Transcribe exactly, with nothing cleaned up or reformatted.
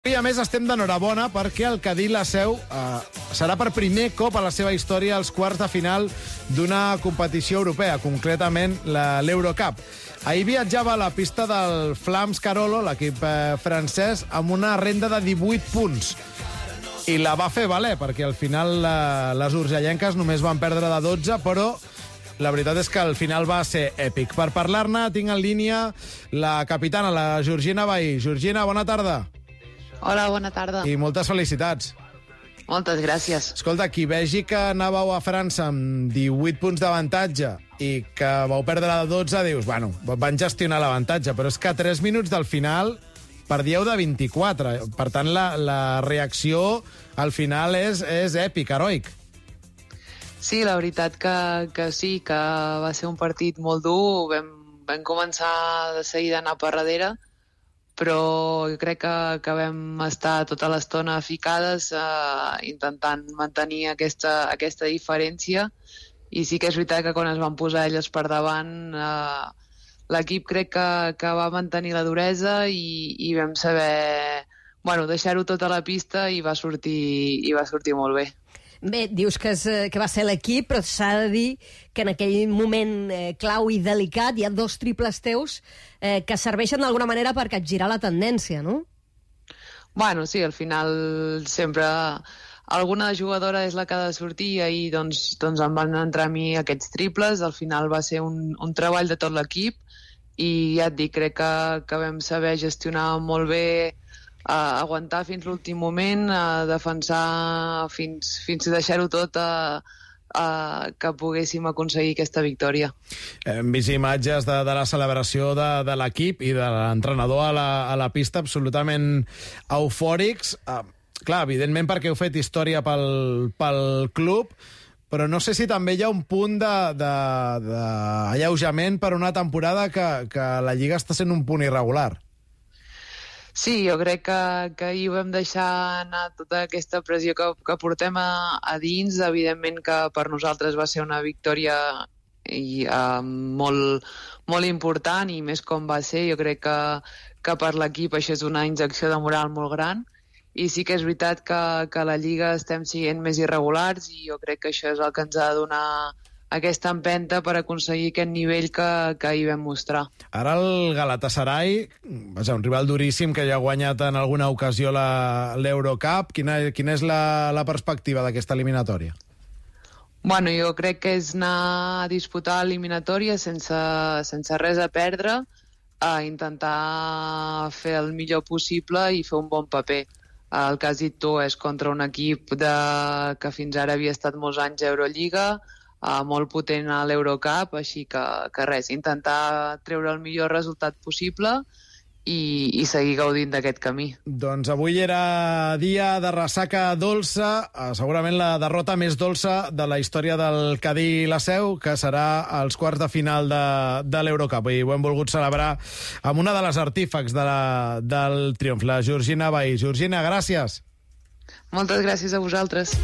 I a més estem d'enhorabona perquè el Cadí La Seu eh, serà per primer cop a la seva història als quarts de final d'una competició europea, concretament l'Eurocup. Ahir viatjava a la pista del Flams Carolo, l'equip eh, francès, amb una renda de divuit punts. I la va fer valer, perquè al final eh, les urgellenques només van perdre de dotze, però la veritat és que el final va ser èpic. Per parlar-ne tinc en línia la capitana, la Georgina Bahí. Georgina, bona tarda. Hola, bona tarda. I moltes felicitats. Moltes gràcies. Escolta, qui vegi que anàveu a França amb divuit punts d'avantatge i que vau perdre de dotze, dius, bueno, van gestionar l'avantatge, però és que a tres minuts del final perdíeu de vint-i-quatre. Per tant, la, la reacció al final és, és èpic, heroic. Sí, la veritat que, que sí, que va ser un partit molt dur. Vam, vam començar de seguida a anar per darrere, però jo crec que, que vam estar tota l'estona ficades eh, intentant mantenir aquesta, aquesta diferència, i sí que és veritat que quan es van posar elles per davant eh, l'equip crec que, que va mantenir la duresa i, i vam saber bueno, deixar-ho tot a la pista i va sortir, i va sortir molt bé. Bé, dius que, és, que va ser l'equip, però s'ha de dir que en aquell moment eh, clau i delicat hi ha dos triples teus eh, que serveixen d'alguna manera per capgirar la tendència, no? Bueno, sí, al final sempre alguna jugadora és la que ha de sortir i ahir doncs, doncs em van entrar a mi aquests triples. Al final va ser un, un treball de tot l'equip i ja et dic, crec que, que vam saber gestionar molt bé, a aguantar fins l'últim moment, a defensar fins, fins a deixar-ho tot a, a que poguéssim aconseguir aquesta victòria. Hem vist imatges de, de la celebració de, de l'equip i de l'entrenador a, la, a la pista absolutament eufòrics. Uh, clar, evidentment perquè heu fet història pel, pel club, però no sé si també hi ha un punt d'alleujament per una temporada que, que la Lliga està sent un punt irregular. Sí, jo crec que, que ahir vam deixar anar tota aquesta pressió que, que portem a, a dins. Evidentment que per nosaltres va ser una victòria i, uh, molt, molt important, i més com va ser. Jo crec que, que per l'equip això és una injecció de moral molt gran, i sí que és veritat que, que a la Lliga estem sent més irregulars, i jo crec que això és el que ens ha de donar aquesta empenta per aconseguir aquest nivell que, que ahir vam mostrar. Ara el Galatasaray, vaja, un rival duríssim que ja ha guanyat en alguna ocasió l'Eurocup. Quina, quina és la, la perspectiva d'aquesta eliminatòria? Bueno, jo crec que és anar a disputar eliminatòria sense, sense res a perdre, a intentar fer el millor possible i fer un bon paper. El que has dit tu és contra un equip de, que fins ara havia estat molts anys a Eurolliga, Uh, molt potent a l'Eurocup, així que, que res, intentar treure el millor resultat possible i, i seguir gaudint d'aquest camí. Doncs avui era dia de ressaca dolça, uh, segurament la derrota més dolça de la història del Cadí La Seu, que serà als quarts de final de, de l'Eurocup, i ho hem volgut celebrar amb una de les artífecs de la, del triomf, la Georgina Bahí. Georgina, gràcies. Moltes gràcies a vosaltres.